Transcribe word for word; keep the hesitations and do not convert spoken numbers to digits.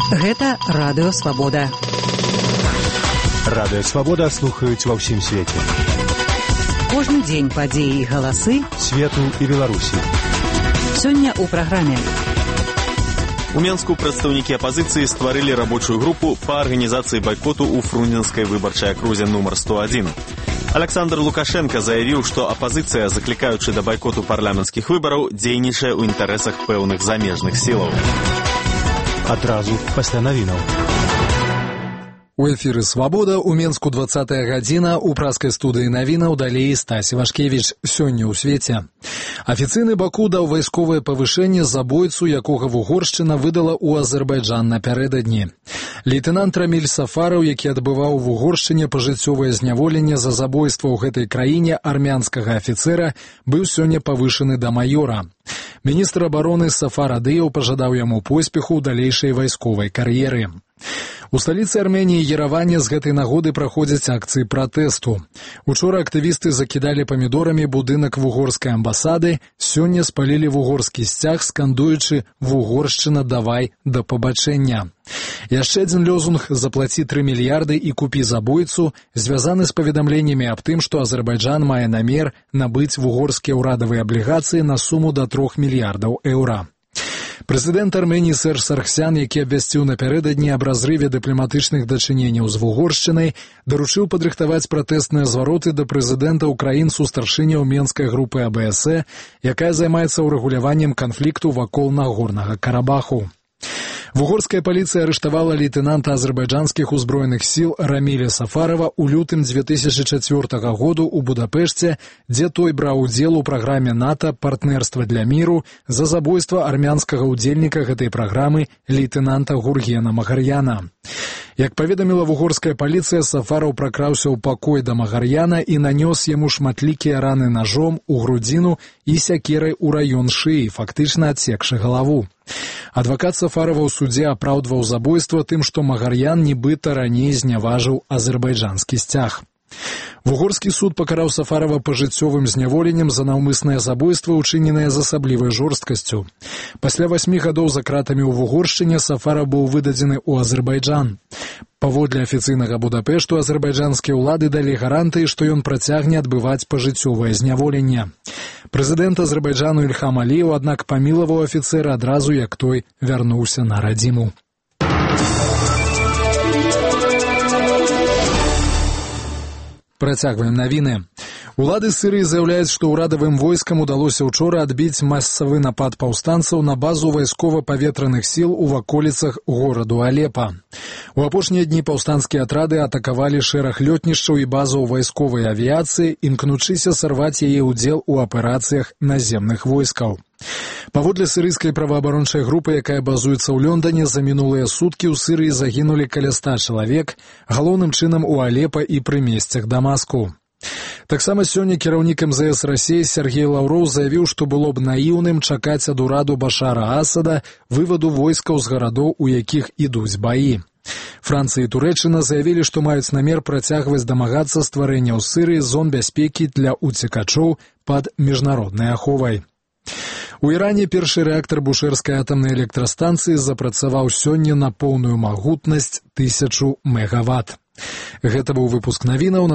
Гэта Радыё Свабода. Радыё Свабода слухаюць ва ўсім свеце. Кожны дзень падзеі і галасы свету і Беларусі. Сёння ў праграме. У Менску прадстаўнікі апазіцыі стварылі рабочую групу па арганізацыі байкоту ў фрунзенскай выбарчай акрузе нумар сто адзін. Александр Лукашенко заявіў, што апазіцыя, заклікаючы да байкоту парламенцкіх выбараў, дзейнічае ў інтарэсах пэўных замежных сілаў. Адразу пасля навінаў. У эфіры «Свабода» у Менску двадцатая гадзіна, у праскай студыі навінаў далей Стась Івашкевіч. Сёння ў свеце. Афіцыйны Баку даў вайсковае павышэнне забойцу, якога Вугоршчына выдала ў Азербайджан напярэдадні. Лейтенант Раміль Сафараў, які адбываў у Вугоршчыне пажыццёвае зняволенне за забойства ў гэтай краіне армянскага афіцэра, быў сёння павышаны да маёра. Міністр абароны Сафар Адыеў пажадаў яму поспеху ў далейшай вайсковай кар'еры. У сталіцы Арменіі Ереване з гэтай нагоды праходзяць акцыі пратэсту. Учора актывісты закідалі памідорамі будынак вугорскай амбасады, сёння спалілі вугорскі сцяг, скандуючы «Вугоршчына, давай да пабачэння». Яшчэ адзін лозунг «Заплаці тры мільярды і купі забойцу» звязаны з паведамленнямі аб тым, што Азербайджан мае намер набыць вугорскія ўрадавыя аблігацыі на суму да трох мільярдаў еўра. Прэзідэнт Арменіі Серж Саргсян, які абвясціў напярэдадні аб разрыве дыпламатычных дачыненняў з Вугоршчынай, даручыў падрыхтаваць пратэстныя звароты да прэзідэнта ўкраін сустаршыняў Менскай групы А Бэ Эс Э, якая займаецца ўрэгуляваннем канфлікту вакол Нагорнага Карабаху. Вугорская паліцыя арыштавала лейтенанта азербайджанскіх узброеных сіл Раміля Сафарова ў лютым дзве тысячы чацвёртага году ў Будапешце, дзе той браў удзел у праграме НАТО «Партнерства для міру» за забойства армянскага ўдзельніка гэтай праграмы лейтенанта Гургена Магарьяна. Як паведаміла вугорская паліцыя, Сафараў пракраўся ў пакой да Магарьяна і нанёс яму шматлікія раны нажом у грудзіну і сякерай у раён шыі, фактычна адсекшы галаву. Адвакат Сафарова ў судзе апраўдваў забойства тым, што Магарьян нібыта раней зняважыў азербайджанскі сцяг. Вугорскі суд пакараў Сафарова пажыццёвым зняволеннем за наўмыснае забойства, учыненае з асаблівай жорсткасцю. Пасля васьмі гадоў за кратамі ў Вугоршчыне Сафаров быў выдадзены ў Азербайджан. Паводле афіцыйнага Будапешту азербайджанскія ўлады далі гарантыі, што ён працягне адбываць пажыццёвае зняволенне. Прэзідэнт Азербайджану Ільхам Аліеў, аднак, памілаваў афіцэра адразу, як той вярнуўся на радзіму. Працягваем навіны. Улады Сірыі заяўляюць, што ўрадавым войскам удалося ўчора адбіць масавы напад паўстанцаў на базу вайскова-паветраных сіл у ваколіцах гораду Алепа. У апошнія дні паўстанцкія атрады атакавалі шэраг лётнішчаў і базаў вайсковай авіяцыі, імкнучыся сарваць яе ўдзел у аперацыях наземных войскаў. Паводле сірыйскай праваабарончай групы, якая базуецца ў Лондоне, за мінулыя суткі ў Сірыі загінулі каля ста чалавек, галоўным чынам у Алепа і прымесцях Дамаску. Таксама сёння кіраўнік эм зэ эс Расіі Сергей Лаўроў заявіў, што было б наіўным чакаць ад ураду Башара Асада вываду войскаў з гарадоў, у якіх ідуць баі. Францыя і Турэччына заявілі, што маюць намер працягваць дамагацца стварэння ў Сірыі зон бяспекі для уцекачоў пад міжнароднай аховай. У Іране першы рэактар бушэрскай атамнай электрастанцыі запрацаваў сёння на поўную магутнасць тысячу мегаватт. Гэта быў выпуск навінаў.